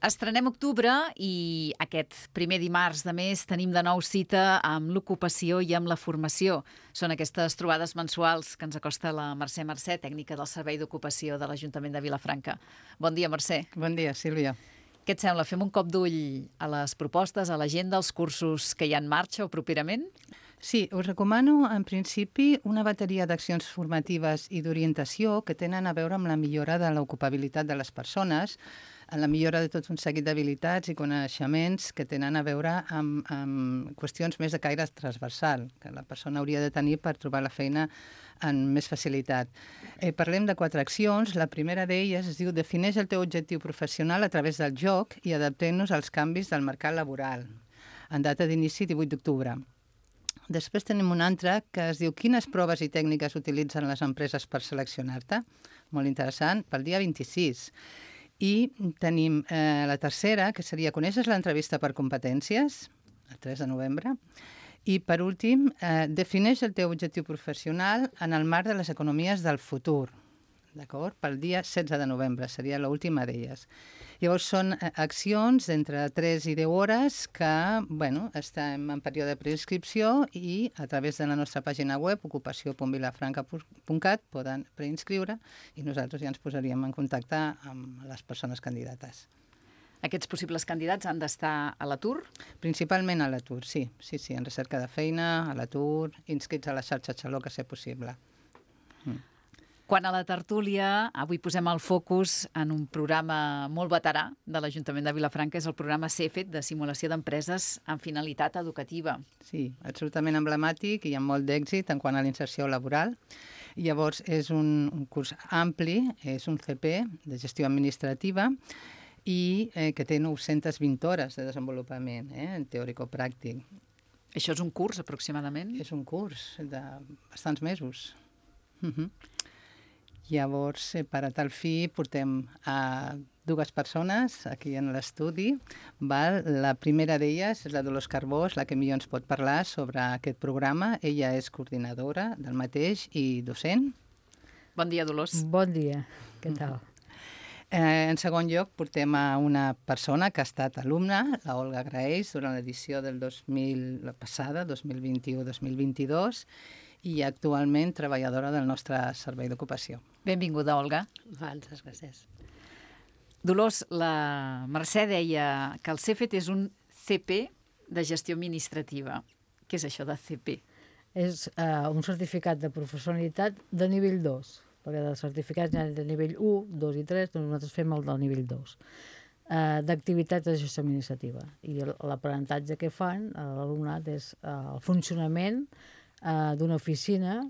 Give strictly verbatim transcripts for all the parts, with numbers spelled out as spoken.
Estrenem octubre i aquest primer dimarts de mes tenim de nou cita amb l'ocupació i amb la formació. Són aquestes trobades mensuals que ens acosta la Mercè Mercè, tècnica del Servei d'Ocupació de l'Ajuntament de Vilafranca. Bon dia, Mercè. Bon dia, Sílvia. Què et sembla? Fem un cop d'ull a les propostes, a l'agenda, als cursos que hi ha en marxa o properament? Sí, us recomano, en principi, una bateria d'accions formatives i d'orientació que tenen a veure amb la millora de l'ocupabilitat de les persones, en la millora de tot un seguit d'habilitats i coneixements que tenen a veure amb, amb qüestions més de caire transversal, que la persona hauria de tenir per trobar la feina amb més facilitat. Eh, parlem de quatre accions. La primera d'elles es diu «Defineix el teu objectiu professional a través del joc i adaptem-nos als canvis del mercat laboral», en data d'inici divuit d'octubre. Després tenim una altra que es diu «Quines proves i tècniques utilitzen les empreses per seleccionar-te?» Molt interessant, pel dia vint-i-sis. I tenim eh, la tercera, que seria «Coneixes l'entrevista per competències?» el tres de novembre. I, per últim, eh, «Defineix el teu objectiu professional en el marc de les economies del futur». D'acord? Pel dia setze de novembre, seria l'última d'elles. Llavors, són accions d'entre tres i deu hores que, bueno, estem en període de preinscripció i a través de la nostra pàgina web, ocupació punt vilafranca punt cat, poden preinscriure i nosaltres ja ens posaríem en contacte amb les persones candidates. Aquests possibles candidats han d'estar a l'atur? Principalment a l'atur, sí. Sí, sí, en recerca de feina, a l'atur, inscrits a la xarxa Xaló, que sigui possible. Mm. Quant a la tertúlia, avui posem el focus en un programa molt veterà de l'Ajuntament de Vilafranca, és el programa CEFET, de simulació d'empreses amb finalitat educativa. Sí, absolutament emblemàtic i amb molt d'èxit en quant a l'inserció laboral. Llavors, és un, un curs ampli, és un C P de gestió administrativa i eh, que té nou-centes vint hores de desenvolupament, eh, teòrico-pràctic. Això és un curs, aproximadament? És un curs de bastants mesos. Uh-huh. Llavors, eh, per a tal fi, portem a dues persones aquí en l'estudi. La primera d'elles és la Dolors Carbós, la que millor ens pot parlar sobre aquest programa. Ella és coordinadora del mateix i docent. Bon dia, Dolors. Bon dia, què tal? Eh, en segon lloc, portem a una persona que ha estat alumna, la Olga Graells, durant l'edició del dos mil, la passada, dos mil vint-i-u dos mil vint-i-dos, i actualment treballadora del nostre servei d'ocupació. Benvinguda, Olga. Moltes gràcies. Dolors, la Mercè deia que el CEFET és un C P de gestió administrativa. Què és això de C P? És uh, un certificat de professionalitat de nivell dos, perquè dels certificats hi ha de nivell u, dos i tres, doncs nosaltres fem el del nivell dos, uh, d'activitats de gestió administrativa. I l'aprenentatge que fan a l'alumnat és uh, el funcionament uh, d'una oficina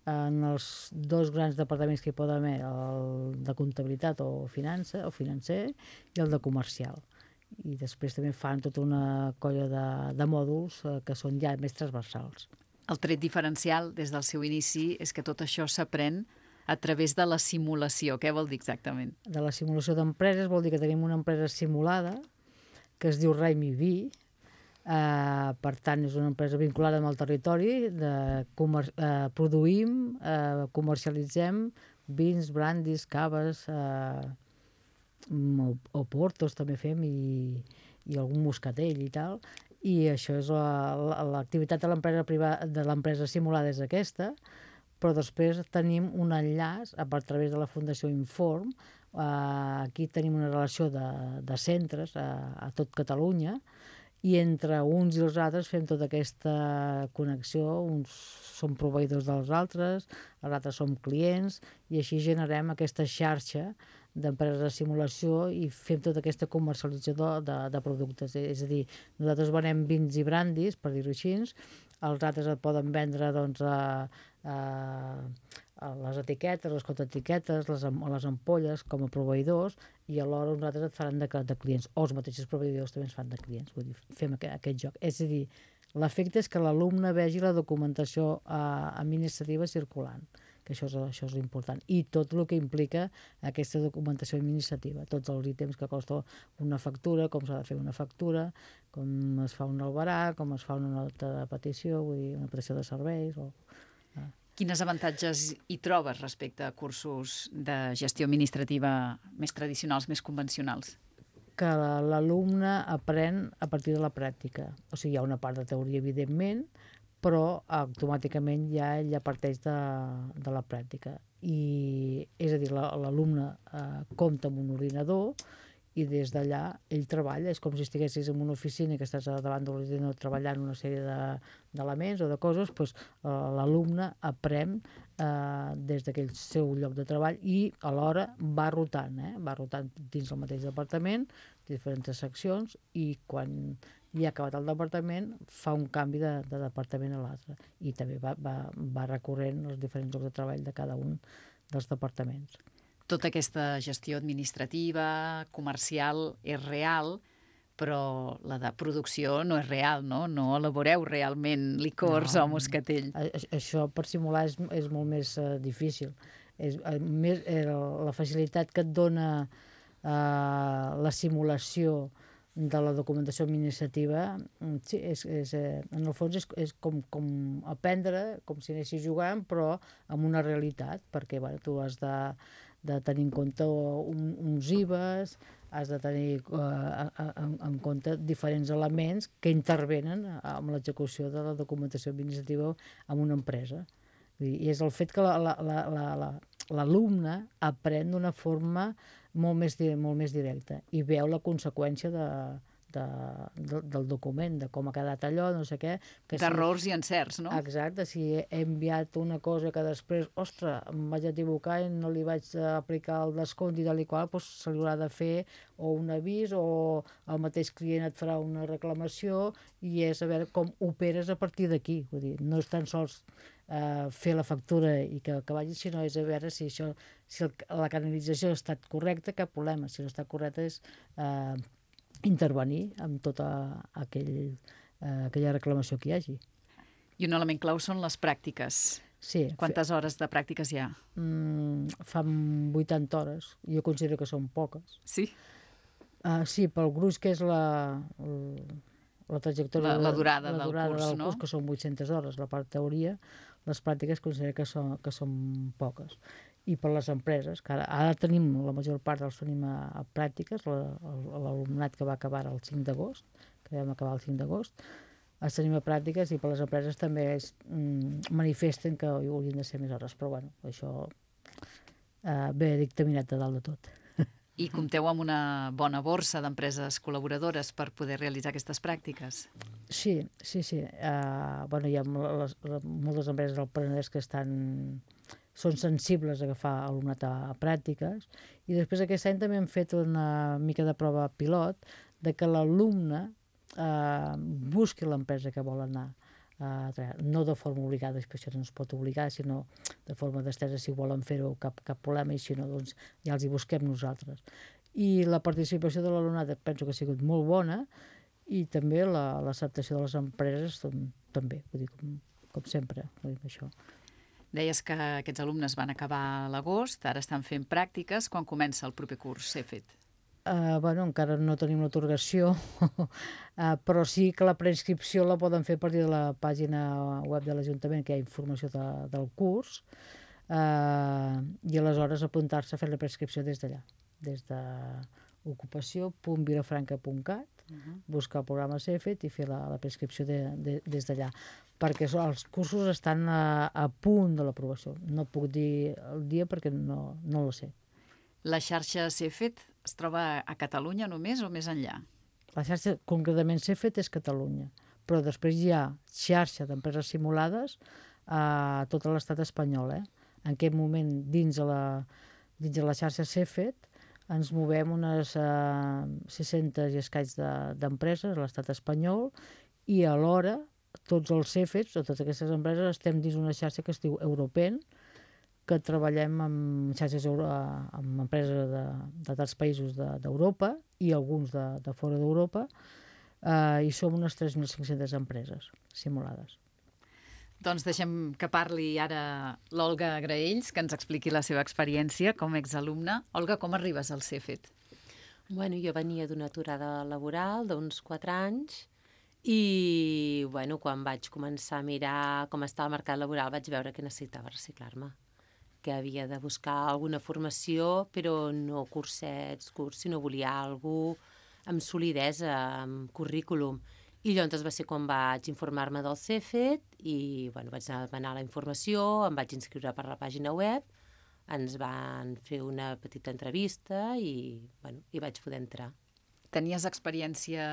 en els dos grans departaments que hi poden haver, el de comptabilitat o finança o financer i el de comercial. I després també fan tota una colla de, de mòduls eh, que són ja més transversals. El tret diferencial des del seu inici és que tot això s'aprèn a través de la simulació. Què vol dir exactament? De la simulació d'empreses vol dir que tenim una empresa simulada que es diu RAIMIV. Uh, per tant, és una empresa vinculada amb el territori, de comer uh, produïm, uh, comercialitzem vins, brandis, caves, uh, o, o portos també fem, i, i algun moscatell i tal, i això és l'activitat de l'empresa privada, de l'empresa simulada és aquesta, però després tenim un enllaç a través de la Fundació Inform. Uh, aquí tenim una relació de, de centres a, a tot Catalunya, i entre uns i els altres fem tota aquesta connexió, uns som proveïdors dels altres, els altres som clients, i així generem aquesta xarxa d'empreses de simulació i fem tota aquesta comercialització de, de, de productes. És a dir, nosaltres venem vins i brandis, per dir-ho així, els altres et poden vendre doncs, a, a, a les etiquetes, les contraetiquetes, les, les ampolles com a proveïdors, i alhora uns altres et faran de, de clients, o els mateixos proveïdors també ens fan de clients. Vull dir, fem aquest, aquest joc. És a dir, l'efecte és que l'alumne vegi la documentació eh, administrativa circulant, que això és, això és important, i tot el que implica aquesta documentació administrativa, tots els ítems que costa una factura, com s'ha de fer una factura, com es fa un albarà, com es fa una nota de petició, vull dir, una petició de serveis. O, eh. Quines avantatges hi trobes respecte a cursos de gestió administrativa més tradicionals, més convencionals? que l'alumne aprèn a partir de la pràctica. O sigui, hi ha una part de teoria, evidentment, però automàticament ja ell ja parteix de, de la pràctica. I, és a dir, l'alumne eh, compta amb un ordinador i des d'allà ell treballa. És com si estiguessis en una oficina i que estàs davant de l'ordinador treballant una sèrie d'elements o de coses, doncs eh, l'alumne aprèn eh, des d'aquell seu lloc de treball i alhora va rotant, eh? va rotant dins el mateix departament, diferents seccions, i quan ja ha acabat el departament fa un canvi de, de departament a l'altre i també va, va, va recorrent els diferents llocs de treball de cada un dels departaments. Tota aquesta gestió administrativa, comercial, és real, però la de producció no és real, no? No elaboreu realment licors no, o moscatell. A, això per simular és, és molt més uh, difícil. És, uh, més, eh, la facilitat que et dona uh, la simulació de la documentació administrativa, sí, és, és, eh, en el fons és, és com, com aprendre, com si anessis jugant, però amb una realitat, perquè bueno, tu has de, de tenir en compte un, uns I V As, has de tenir eh, en, en compte diferents elements que intervenen amb l'execució de la documentació administrativa en una empresa. I és el fet que l'alumne aprèn d'una forma molt més, molt més directa i veu la conseqüència de, de, de, del document, de com ha quedat allò, no sé què. D'errors si, i encerts, no? Exacte, si he enviat una cosa que després, ostres, em vaig equivocar i no li vaig aplicar el descompte i tal i qual, doncs se li haurà de fer o un avís o el mateix client et farà una reclamació i és a veure com operes a partir d'aquí. Vull dir, no és tan sols Uh, fer la factura i que, que vagi, sinó és a veure si, això, si el, la canalització ha estat correcta, cap problema. Si no està correcta és uh, intervenir amb tota aquell, uh, aquella reclamació que hi hagi. I un element clau són les pràctiques. Sí. Quantes fe... hores de pràctiques hi ha? Mm, fan vuitanta hores. Jo considero que són poques. Sí? Uh, sí, pel gruix que és la... El, la trajectòria, la, la durada, la del, durada curs, del no? curs, que són vuit-centes hores, la part teoria, les pràctiques considero que són, que són poques. I per les empreses, que ara, ara tenim, la major part dels tenim a, a pràctiques, l'alumnat que va acabar el cinc d'agost, que vam acabar el cinc d'agost, els tenim a pràctiques i per les empreses també es, mm, manifesten que haurien de ser més hores, però bueno, això eh, ve dictaminat de dalt de tot. I compteu amb una bona borsa d'empreses col·laboradores per poder realitzar aquestes pràctiques? Sí, sí, sí. Uh, bueno, hi ha les, les, moltes empreses del Penedès que estan, són sensibles a agafar alumnat a, a pràctiques i després aquest any també hem fet una mica de prova pilot de que l'alumne uh, busqui l'empresa que vol anar. Uh, no de forma obligada, perquè això no es pot obligar, sinó de forma d'estesa, si volen fer-ho cap, cap problema, i si no, doncs ja els hi busquem nosaltres. I la participació de l'alumnat penso que ha sigut molt bona i també l'acceptació de les empreses també, vull dir, com, com sempre, vull dir, això. Deies que aquests alumnes van acabar a l'agost, ara estan fent pràctiques. Quan comença el proper curs, CEFET? Uh, bueno, encara no tenim l'atorgació, uh, però sí que la preinscripció la poden fer a partir de la pàgina web de l'Ajuntament, que hi ha informació de, del curs, uh, i aleshores apuntar-se a fer la preinscripció des d'allà, des de ocupació punt vilafranca punt cat, uh-huh. buscar el programa CEFET i fer la, la preinscripció de, de, des d'allà, perquè els cursos estan a, a punt de l'aprovació. No puc dir el dia perquè no, no lo sé. La xarxa CEFET es troba a Catalunya només o més enllà? La xarxa, concretament CEFET, és Catalunya, però després hi ha xarxa d'empreses simulades a tot l'estat espanyol. Eh? En aquest moment, dins de la, dins de la xarxa CEFET, ens movem unes uh, sis-centes i escaig d'empreses de, a l'estat espanyol i alhora tots els CEFETs o totes aquestes empreses estem dins una xarxa que es diu Europen, que treballem amb xarxes euro, amb empreses de, de tants països d'Europa de, i alguns de, de fora d'Europa, eh, i som unes tres mil cinc-centes empreses simulades. Doncs deixem que parli ara l'Olga Graells, que ens expliqui la seva experiència com a exalumna. Olga, com arribes al CEFET? Bueno, jo venia d'una aturada laboral d'uns quatre anys i bueno, quan vaig començar a mirar com estava el mercat laboral vaig veure que necessitava reciclar-me, que havia de buscar alguna formació, però no cursets, curs, sinó volia alguna cosa amb solidesa, amb currículum. I llavors va ser quan vaig informar-me del Cefet i bueno, vaig anar a demanar la informació, em vaig inscriure per la pàgina web, ens van fer una petita entrevista i, bueno, i vaig poder entrar. Tenies experiència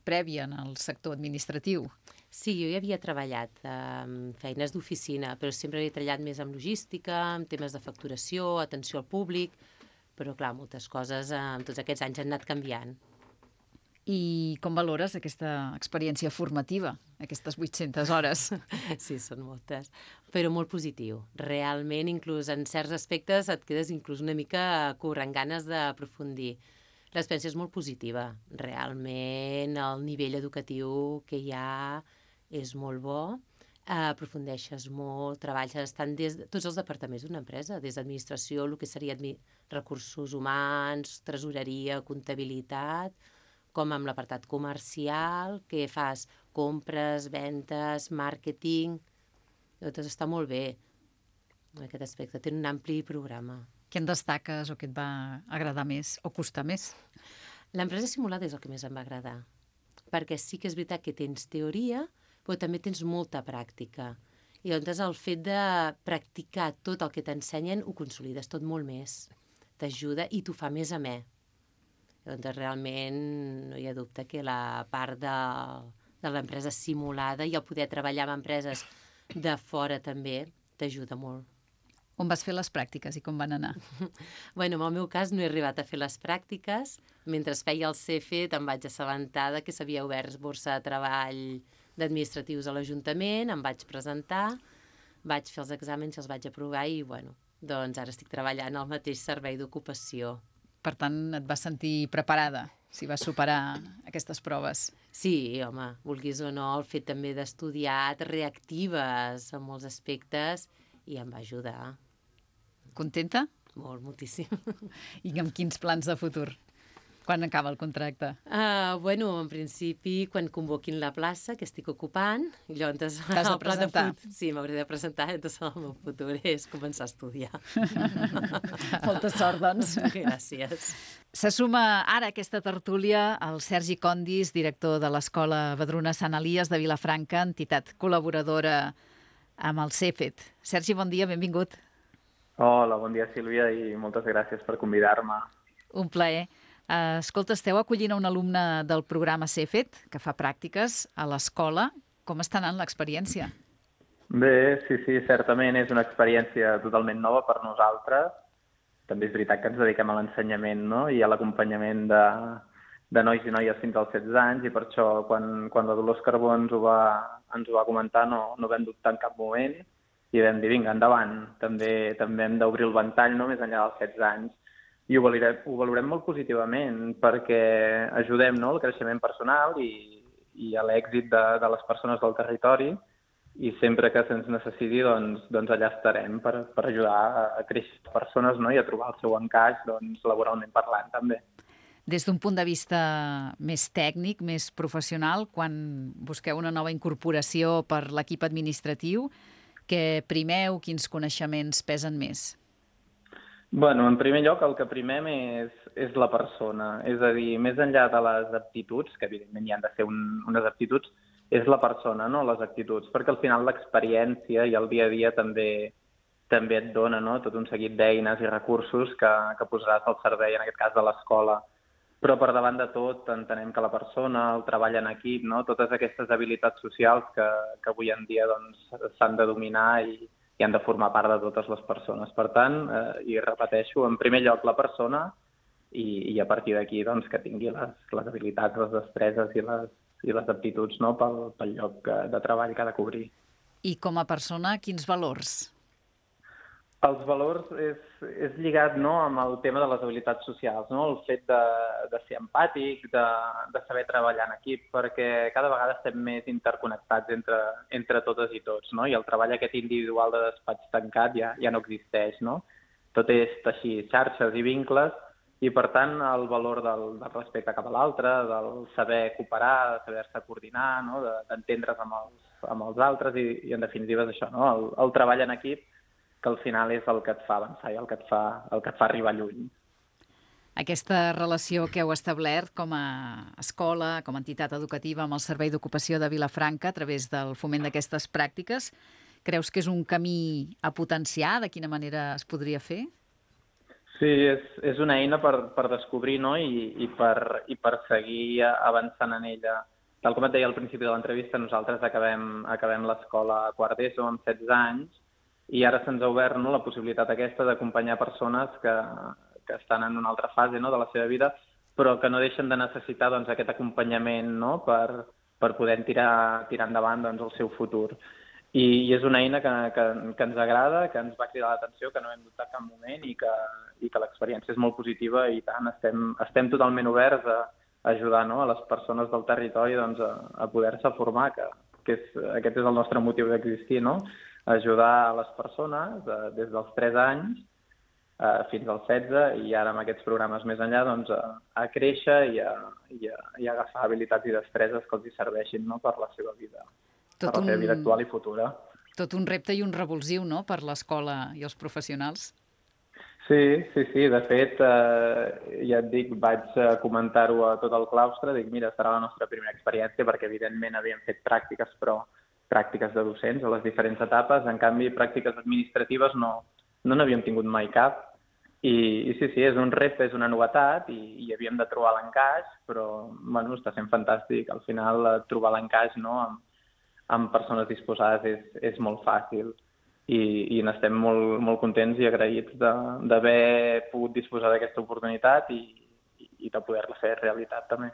prèvia en el sector administratiu? Sí, jo ja havia treballat en feines d'oficina, però sempre havia treballat més en logística, en temes de facturació, atenció al públic, però clar, moltes coses en tots aquests anys han anat canviant. I com valores aquesta experiència formativa, aquestes vuit-centes hores? Sí, són moltes, però molt positiu. Realment, inclús en certs aspectes et quedes inclús una mica corrent ganes d'aprofundir. L'experiència és molt positiva. Realment, el nivell educatiu que hi ha és molt bo, aprofundeixes molt, treballes tant des de tots els departaments d'una empresa, des d'administració, el que seria recursos humans, tresoreria, comptabilitat, com amb l'apartat comercial, que fas compres, ventes, màrqueting, tot està molt bé en aquest aspecte, té un ampli programa. Què en destaques o què et va agradar més o costar més? L'empresa simulada és el que més em va agradar, perquè sí que és veritat que tens teoria, però també tens molta pràctica. I llavors el fet de practicar tot el que t'ensenyen ho consolides tot molt més, t'ajuda i t'ho fa més amè. Doncs realment no hi ha dubte que la part de, de l'empresa simulada i el poder treballar amb empreses de fora també t'ajuda molt. On vas fer les pràctiques i com van anar? Bueno, en el meu cas no he arribat a fer les pràctiques. Mentre feia el Cefet em vaig assabentar que s'havia obert borsa de treball d'administratius a l'Ajuntament, em vaig presentar, vaig fer els exàmens i els vaig aprovar i bueno, doncs ara estic treballant al mateix servei d'ocupació. Per tant, et vas sentir preparada si vas superar aquestes proves. Sí, home, vulguis o no, el fet també d'estudiar et reactives en molts aspectes i em va ajudar. Contenta? Molt, moltíssim. I amb quins plans de futur? Quan acaba el contracte? Uh, bueno, en principi, quan convoquin la plaça, que estic ocupant, i llavors... T'has de presentar? De sí, m'hauré de presentar, entonces el meu futur és començar a estudiar. Molta sort, doncs. Gràcies. Se suma ara a aquesta tertúlia el Sergi Condis, director de l'Escola Vedruna Sant Elies de Vilafranca, entitat col·laboradora amb el Cefet. Sergi, bon dia, benvingut. Hola, bon dia, Sílvia, i moltes gràcies per convidar-me. Un plaer. Uh, escolta, esteu acollint a un alumne del programa Cefet, que fa pràctiques a l'escola. Com està anant l'experiència? Bé, sí, sí, certament és una experiència totalment nova per nosaltres. També és veritat que ens dediquem a l'ensenyament, no?, i a l'acompanyament de, de nois i noies fins als setze anys, i per això quan, quan la Dolors Carbó ens ho va, ens ho va comentar no, no vam dubtar en cap moment i vam dir, vinga, endavant, també, també hem d'obrir el ventall, no?, més enllà dels setze anys. I ho valorem, ho valorem molt positivament perquè ajudem, no?, al creixement personal i, i a l'èxit de, de les persones del territori, i sempre que se'ns necessiti doncs, doncs allà estarem per, per ajudar a créixer les persones, no?, i a trobar el seu encaix doncs, laboralment parlant també. Des d'un punt de vista més tècnic, més professional, quan busqueu una nova incorporació per l'equip administratiu, què primeu, quins coneixements pesen més? Bueno, en primer lloc, el que primem és, és la persona. És a dir, més enllà de les aptituds, que evidentment hi han de ser un, unes aptituds, és la persona, no les actituds, perquè al final l'experiència i el dia a dia també, també et dona, no?, tot un seguit d'eines i recursos que, que posaràs al servei, en aquest cas de l'escola. Però per davant de tot entenem que la persona, el treball en equip, no?, totes aquestes habilitats socials que, que avui en dia doncs, s'han de dominar i, i han de formar part de totes les persones. Per tant, eh, i repeteixo, en primer lloc la persona i, i a partir d'aquí doncs, que tingui les, les habilitats, les destreses i les, i les aptituds, no?, pel, pel lloc de treball que ha de cobrir. I com a persona, quins valors? Els valors és, és lligat, no?, amb el tema de les habilitats socials, no?, el fet de, de ser empàtic, de, de saber treballar en equip, perquè cada vegada estem més interconnectats entre, entre totes i tots, no?, i el treball aquest individual de despatx tancat ja, ja no existeix, no? Tot és teixir xarxes i vincles, i per tant el valor del, del respecte cap a l'altre, del saber cooperar, de saber-se coordinar, no?, d'entendre's amb els, amb els altres, i, i en definitiva és això, no?, el, el treball en equip, que al final és el que et fa avançar i el que et fa, el que et fa arribar lluny. Aquesta relació que heu establert com a escola, com a entitat educativa amb el Servei d'Ocupació de Vilafranca a través del foment d'aquestes pràctiques, creus que és un camí a potenciar? De quina manera es podria fer? Sí, és, és una eina per, per descobrir, no? I, i, per, i per seguir avançant en ella. Tal com et deia al principi de l'entrevista, nosaltres acabem, acabem l'escola a quart d'ESO amb setze anys i ara se'ns ha obert, no, la possibilitat aquesta d'acompanyar persones que, que estan en una altra fase, no, de la seva vida, però que no deixen de necessitar, doncs, aquest acompanyament, no, per, per poder tirar, tirar endavant, doncs, el seu futur. I, i és una eina que, que, que ens agrada, que ens va cridar l'atenció, que no hem dubtat cap moment i que, i que l'experiència és molt positiva i tant, estem, estem totalment oberts a, a ajudar, no, a les persones del territori, doncs, a, a poder-se formar, que, que és, aquest és el nostre motiu d'existir, no? Ajudar a les persones eh, des dels tres anys eh, fins als setze i ara amb aquests programes més enllà doncs, a, a créixer i a, i, a, i a agafar habilitats i destreses que els hi serveixin, no, per la seva vida, Tot per la seva un- vida actual i futura. Tot un repte i un revulsiu, no?, per l'escola i els professionals. Sí, sí, sí. De fet, eh, ja et dic, vaig eh, comentar-ho a tot el claustre, dic, mira, serà la nostra primera experiència, perquè evidentment havíem fet pràctiques, però pràctiques de docents a les diferents etapes. En canvi, pràctiques administratives no no n'havíem tingut mai cap. I, I sí, sí, és un repte, és una novetat i, i havíem de trobar l'encaix, però bueno, està sent fantàstic. Al final, eh, trobar l'encaix, no, amb, amb persones disposades és, és molt fàcil i, i n'estem molt, molt contents i agraïts de- d'haver pogut disposar d'aquesta oportunitat i, i de poder-la fer realitat també.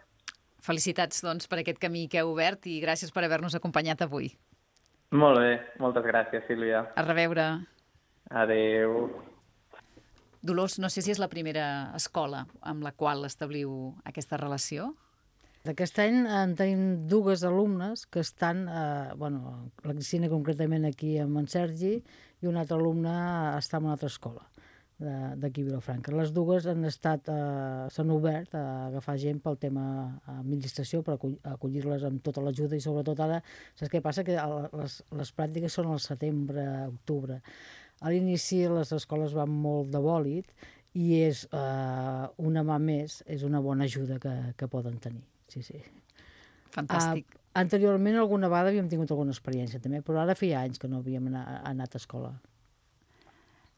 Felicitats, doncs, per aquest camí que heu obert i gràcies per haver-nos acompanyat avui. Molt bé, moltes gràcies, Sílvia. A reveure. Adéu. Dolors, no sé si és la primera escola amb la qual establiu aquesta relació. D'aquest any en tenim dues alumnes que estan, eh, bueno, la Cristina concretament aquí amb en Sergi i un altre alumne està en una altra escola de- d'aquí a Vilafranca. Les dues han estat, eh, s'han obert a agafar gent pel tema administració, per acull- acollir-les amb tota l'ajuda i sobretot ara, saps què passa? Que el- les, les pràctiques són al setembre, octubre. A l'inici les escoles van molt de bòlit i és eh, una mà més, és una bona ajuda que, que poden tenir. Sí, sí. Fantàstic. Uh, anteriorment alguna vegada havíem tingut alguna experiència també, però ara feia anys que no havíem anat, anat a escola.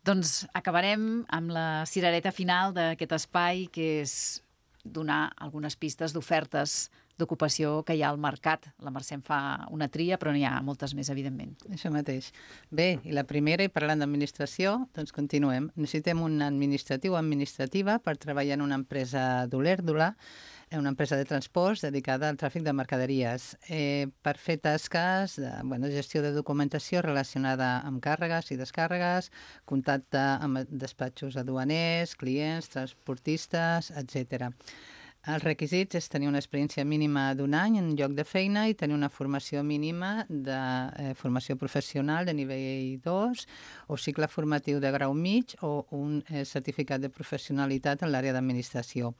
Doncs acabarem amb la cirereta final d'aquest espai, que és donar algunes pistes d'ofertes d'ocupació que hi ha al mercat. La Mercè en fa una tria, però n'hi ha moltes més, evidentment. Això mateix. Bé, i la primera, i parlant d'administració, doncs continuem. Necessitem un administratiu o administrativa per treballar en una empresa d'Olèrdola, una empresa de transports dedicada al tràfic de mercaderies, eh, per fer tasques de bueno, gestió de documentació relacionada amb càrregues i descàrregues, contacte amb despatxos aduaners, clients, transportistes, etcètera. Els requisits és tenir una experiència mínima d'un any en lloc de feina i tenir una formació mínima de eh, formació professional de nivell dos o cicle formatiu de grau mig o un eh, certificat de professionalitat en l'àrea d'administració.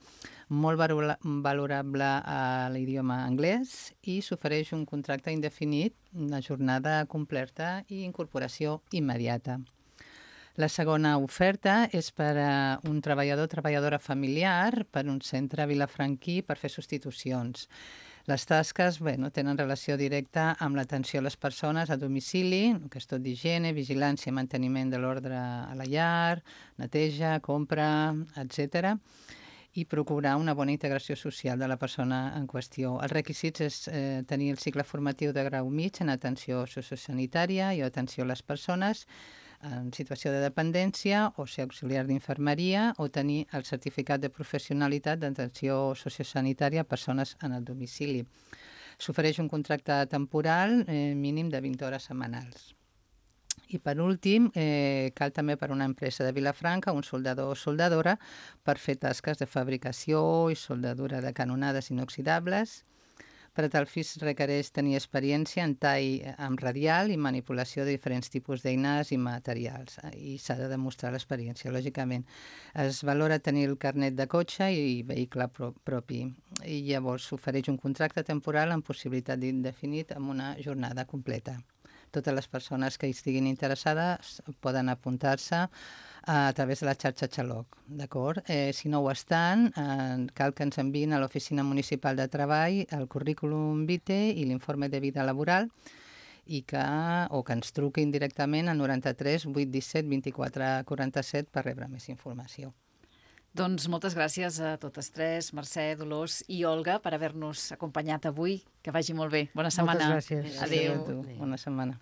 Molt valora- valorable a l'idioma anglès i s'ofereix un contracte indefinit, una jornada completa i incorporació immediata. La segona oferta és per a un treballador o treballadora familiar per un centre vilafranquí per fer substitucions. Les tasques bueno, tenen relació directa amb l'atenció a les persones a domicili, que és tot d'higiene, vigilància i manteniment de l'ordre a la llar, neteja, compra, etcètera, i procurar una bona integració social de la persona en qüestió. Els requisits és eh, tenir el cicle formatiu de grau mig en atenció sociosanitària i atenció a les persones en situació de dependència o ser auxiliar d'infermeria o tenir el certificat de professionalitat d'atenció sociosanitària a persones en el domicili. S'ofereix un contracte temporal eh, mínim de vint hores setmanals. I per últim, eh, cal també per una empresa de Vilafranca un soldador o soldadora per fer tasques de fabricació i soldadura de canonades inoxidables. Per a tal fi es requereix tenir experiència en tall amb radial i manipulació de diferents tipus d'eines i materials. I s'ha de demostrar l'experiència, lògicament. Es valora tenir el carnet de cotxe i vehicle pro propi. I llavors s'ofereix un contracte temporal amb possibilitat d'indefinit amb una jornada completa. totes les persones que hi estiguin interessades poden apuntar-se a través de la xarxa Xaloc, d'acord? Eh, si no ho estan, eh, cal que ens enviïn a l'Oficina Municipal de Treball el currículum vitae i l'informe de vida laboral i que, o que ens truquin directament al noranta-tres vuit disset vint-i-quatre quaranta-set per rebre més informació. Doncs moltes gràcies a totes tres, Mercè, Dolors i Olga, per haver-nos acompanyat avui. Que vagi molt bé. Bona setmana. Moltes gràcies. Adéu. Adéu. Bona setmana.